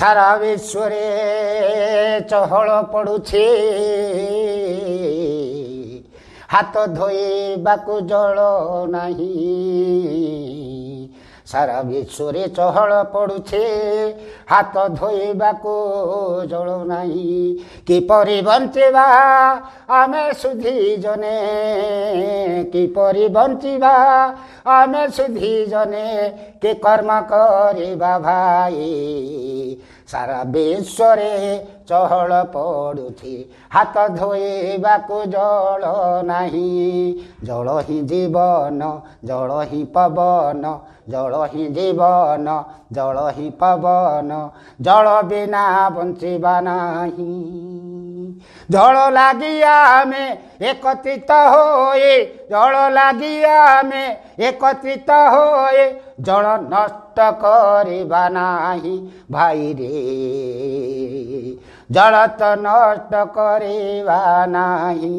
ସାରା ବିଶ୍ୱରେ ଚହଳ ପଡ଼ୁଛି, ହାତ ଧୋଇବାକୁ ଜଳ ନାହିଁ। ସାରା ବିଶ୍ୱରେ ଚହଳ ପଡ଼ୁଛି, ହାତ ଧୋଇବାକୁ ଜଳ ନାହିଁ। କିପରି ବଞ୍ଚିବା ଆମେ ସୁଧି ଜନେ, କିପରି ବଞ୍ଚିବା ଆମେ ସୁଧି ଜନେ, କି କର୍ମ କରିବା ଭାଇ। ସାରା ବିଶ୍ୱରେ ଚହଳ ପଡ଼ୁଛି, ହାତ ଧୋଇବାକୁ ଜଳ ନାହିଁ। ଜଳ ହିଁ ଜୀବନ, ଜଳ ହିଁ ପବନ, ଜଳ ହିଁ ଜୀବନ, ଜଳ ହିଁ ପବନ, ଜଳ ବିନା ବଞ୍ଚିବା ନାହିଁ। ଜଳ ଲାଗି ଆମେ ଏକତ୍ରିତ ହୋଇ, ଜଳ ଲାଗି ଆମେ ଏକତ୍ରିତ ହୋଇ, ଜଳ ନଷ୍ଟ କରିବା ନାହିଁ ଭାଇରେ, ଜଳ ତ ନଷ୍ଟ କରିବା ନାହିଁ।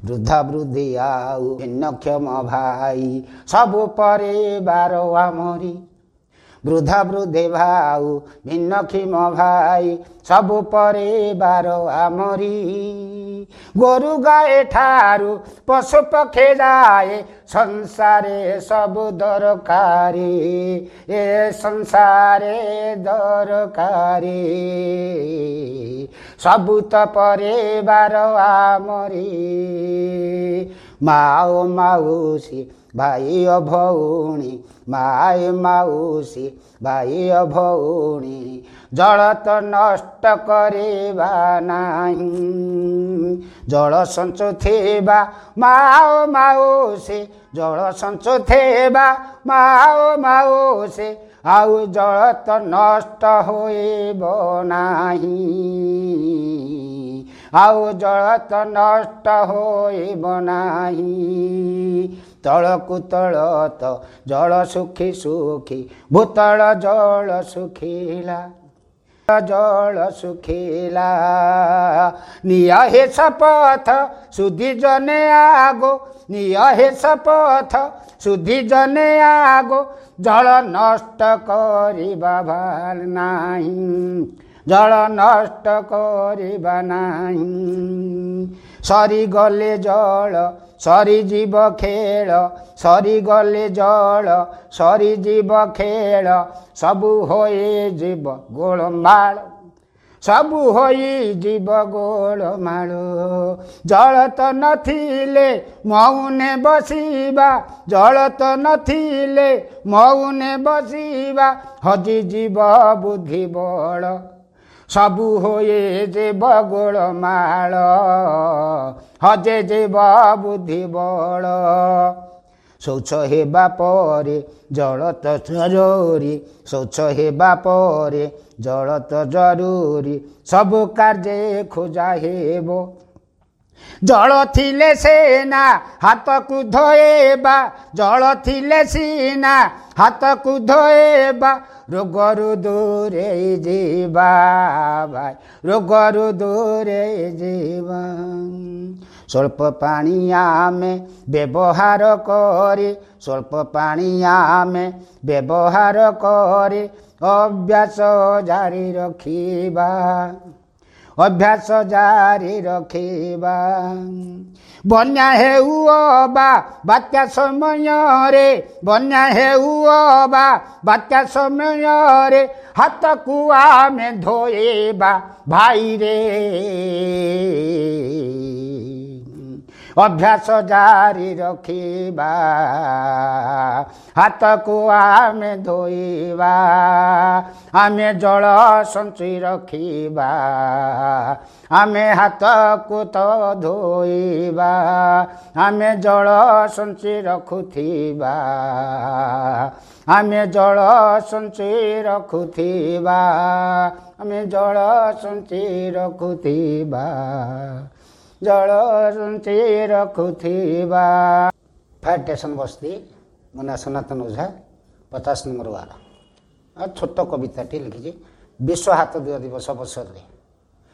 ବୃଦ୍ଧ ବୃଦ୍ଧି ଆଉ ଭିନ୍ନକ୍ଷମ ଭାଇ ସବୁ ପରିବାର ଆମରି, ବୃଦ୍ଧ ବୃଦ୍ଧି ଭାଉ ଭିନ୍ନକ୍ଷମ ଭାଇ ସବୁ ପରିବାର ଆମରି। ଗୋରୁ ଗାଈ ଠାରୁ ପଶୁ ପକ୍ଷୀ ଯାଏ ସଂସାରେ ସବୁ ଦରକାରୀ, ଏ ସଂସାରେ ଦରକାରୀ, ସବୁ ତ ପରିବାର ଆମରି। ମା ଓ ମାଉସୀ ଭାଇ ଓ ଭଉଣୀ, ମାଏ ମାଉସୀ ଭାଇ ଓ ଭଉଣୀ, ଜଳ ତ ନଷ୍ଟ କରିବା ନାହିଁ। ଜଳ ସଞ୍ଚୁଥିବା ମା ଓ ମାଉସୀ, ଜଳ ସଞ୍ଚୁଥିବା ମା ଓ ମାଉସୀ, ଆଉ ଜଳ ତ ନଷ୍ଟ ହୋଇବ ନାହିଁ, ଆଉ ଜଳ ତ ନଷ୍ଟ ହୋଇବ ନାହିଁ। ତଳକୁ ତଳ ତ ଜଳ ଶୁଖି ଶୁଖି ଭୂତଳ ଜଳ ଶୁଖିଲା, ଜଳ ଶୁଖିଲା। ନିଅ ହେ ଶପଥ ସୁଧି ଜନେ ଆଗୋ, ନିଅ ହେ ଶପଥ ସୁଧି ଜନେ ଆଗୋ, ଜଳ ନଷ୍ଟ କରିବା ଭଲ ନାହିଁ, ଜଳ ନଷ୍ଟ କରିବା ନାହିଁ। ସରିଗଲେ ଜଳ ସରିଯିବ ଖେଳ, ସରିଗଲେ ଜଳ ସରିଯିବ ଖେଳ, ସବୁ ହୋଇଯିବ ଗୋଳମାଳ, ସବୁ ହୋଇଯିବ ଗୋଳମାଳ। ଜଳ ତ ନଥିଲେ ମଉନେ ବସିବା, ଜଳ ତ ନଥିଲେ ମଉନେ ବସିବା, ହଜିଯିବ ବୁଦ୍ଧି ବଳ, ସବୁ ହୋଇଯିବ ଗୋଳମାଳ, ହଜିଯିବ ବୁଦ୍ଧି ବଳ। ଶୌଚ ହେବା ପରେ ଜଳ ତ ଜରୁରୀ, ଶୌଚ ହେବା ପରେ ଜଳ ତ ଜରୁରୀ, ସବୁ କାର୍ଯ୍ୟ ଖୋଜା ହେବ। ଜଳ ଥିଲେ ସେନା ହାତକୁ ଧୋଇବା, ଜଳ ଥିଲେ ସିନା ହାତକୁ ଧୋଇବା, ରୋଗରୁ ଦୂରେଇ ଯିବା ଭାଇ, ରୋଗରୁ ଦୂରେଇ ଯିବା। ସ୍ୱଳ୍ପ ପାଣି ଆମେ ବ୍ୟବହାର କରି, ସ୍ୱଳ୍ପ ପାଣି ଆମେ ବ୍ୟବହାର କରି, ଅଭ୍ୟାସ ଜାରି ରଖିବା, ଅଭ୍ୟାସ ଜାରି ରଖିବା। ବନ୍ୟା ହେଉ ଅବା ବାତ୍ୟା ସମୟରେ, ବନ୍ୟା ହେଉ ଅବା ବାତ୍ୟା ସମୟରେ, ହାତକୁ ଆମେ ଧୋଇବା ଭାଇରେ, ଅଭ୍ୟାସ ଜାରି ରଖିବା, ହାତକୁ ଆମେ ଧୋଇବା, ଆମେ ଜଳ ସଞ୍ଚି ରଖିବା, ଆମେ ହାତକୁ ତ ଧୋଇବା, ଆମେ ଜଳ ସଞ୍ଚି ରଖୁଥିବା, ଆମେ ଜଳ ସଞ୍ଚି ରଖୁଥିବା, ଆମେ ଜଳ ସଞ୍ଚି ରଖୁଥିବା, ଜଳ ସଞ୍ଚି ରଖୁଥିବା। ଫାୟାର ଷ୍ଟେସନ ବସ୍ତି, ମୋ ନାଁ ସନାତନ ଓଝା, 50 ନମ୍ବର ୱାର୍ଡ଼। ଛୋଟ କବିତାଟି ଲେଖିଛି ବିଶ୍ୱ ହାତ ଧୁଆ ଦିବସ ଅବସରରେ।